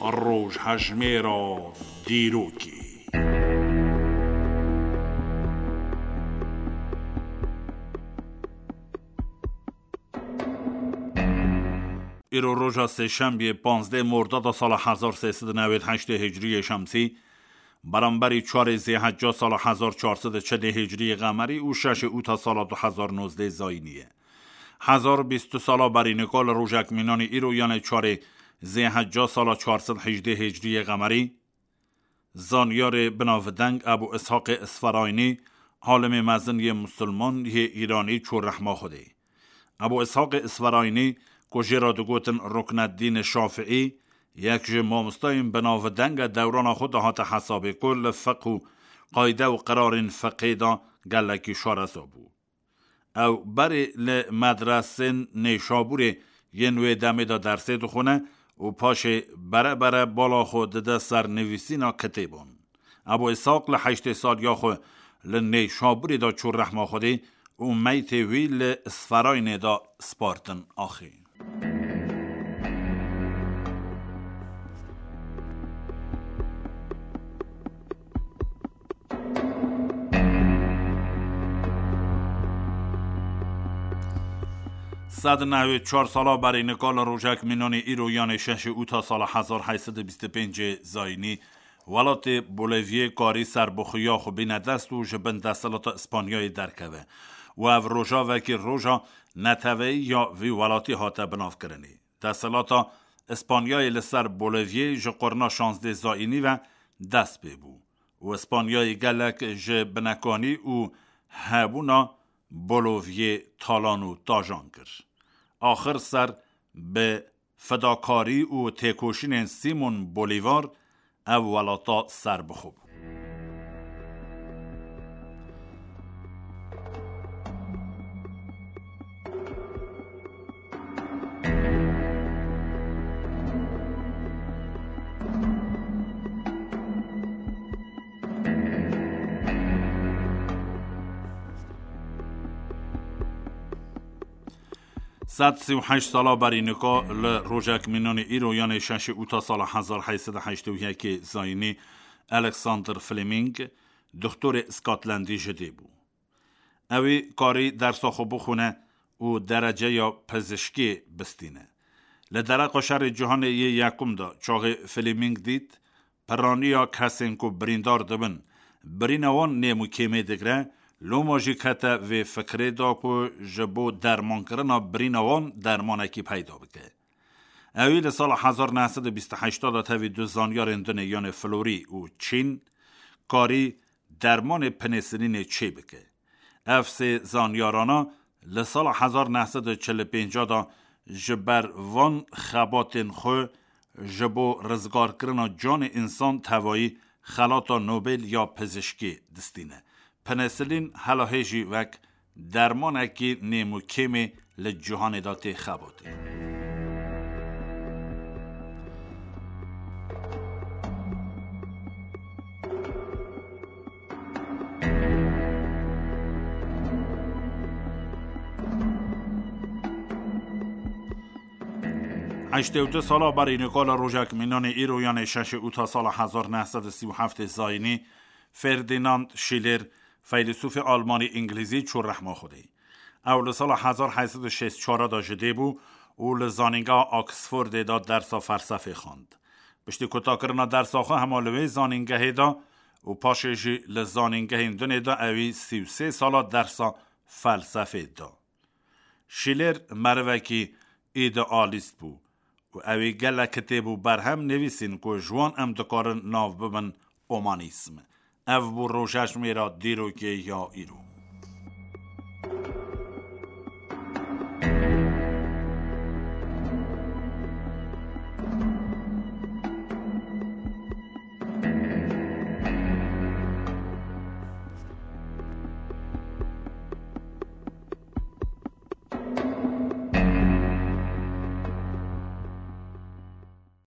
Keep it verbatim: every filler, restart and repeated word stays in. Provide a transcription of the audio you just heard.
Rojhejmêra dîrokê. Îro roja sêşembiyê, panzdeh Mordada sala hezar sê sed û newêd heştê Hicriyê Şemsî, beramberî çarê Zêhecca sala hezar çar sed û çedê Hicriyê Qemerî û şeşê Ûta sala du hezar nozdeh Zayînî ye. Hezar bîst sala berî nika li rojek mînanî îro, yanê çarê Zêhecca sala çar sed hejdê Hicriyê Qemerî, zanyarê binavdeng Ebû Îshaqê Isferaynî, alimê mezin yê musulman yê Îranî çû rehma Xwedê. Ebû Îshaqê Isferaynî, ku jê re digotin Rukneddînê Şafiî, yek ji mamostayên binavdeng e, dewrana xwe dihate hesabê, ku li fiqh û qayde û qirarên fiqhê de gelekî şareza bû. Ew berê li medresên Nêşabûrê yên wê demê de dersê dixwine û paşê bere bere bala xwe dide ser nivîsîna kitêban. Ebû Îshaq li heştê saliya xwe li Nêşabûrê de çû rehma Xwedê û meytê wî li Isferaynê de spartin axê. Sed nehwê çar sala berî nika li rojek mînanê îro, yanê şeşê Ûta sala hezar heyt sed û bîst û pêncê Zayînî, welatê Boliviyê karî serbixweya xwe bîne dest û ji bin desthilata Îspanyayê derkeve û ev roja wekî roja neteweyî ya vî welatî hate binavkirinê. Desthilata Îspanyayê li ser Boliviyê ji qurna şazdeh Zayînî ve dest pê bû û Îspanyayê gelek ji binekanî û hebûna Boliviyê talan û tajan kir. Axir ser bi fedakarî û têkoşînên Simon Bolîvar ev welata serbixwe bû. Sed sî û heşt sala berî nika li rojek mînanê îro, yanê şeşê Ûta sala hezar heyt sed û heştê û yekê Zayînî, Alexander Fleming, doktorê Scotlandî ji dê bû. Ewî karî dersa xwe bixwine û dereceya pizişkê bistîne. Li dereqa şerê cîhanê yê yekum de çaxê Fleming dît, piraniya kesên ku birîndar dibin, birîna wan nêm û kêmê digre, loma jî kete vê fikrê de ku ji bo dermankirina birîna wan dermanekî peyda bike. Ewî li sala hezar neh sed û bîst û heşt de tevî du zanyarên din ê, yanê Florî û Çîn, karî dermanê penisilînê çê bike. Ev sê zanyarana li sala hezar neh sed û çil û pênc de ji ber van xebatên xwe ji bo rizgarkirina canê însan tevayî xelata Nobel ya pizişkê distîne. Penisilîn hela hê jî wek dermanekî nêm û kêmê li cîhanê de tê xebatê. Heştê û du sala berî nika li rojek mînanê îro, yanê şeşê Ûta sala hezar neh sed û sî û heftê Zayînî, Ferdinand Schiller, feylesûfê Almanî-Îngilîzî, çû rehma Xwedê. Ew li sala hezar heyt sed û şêst çar de ji dê bû û li Zanîngeha Oxfordê de dersa felsefê xwend. Piştî kutakirina dersa xwe hema li wê zanîngehê de û paşê jî li zanîngehên dinê de ewî sî û sê sala dersa felsefê da. Schiller merivekî îdealîst bû û ewî gelek kitêb û berhem nivîsîn ku ji wan em dikarin nav bibin omanîsm. Ev bû rojhejmêra dîrokê ya îro.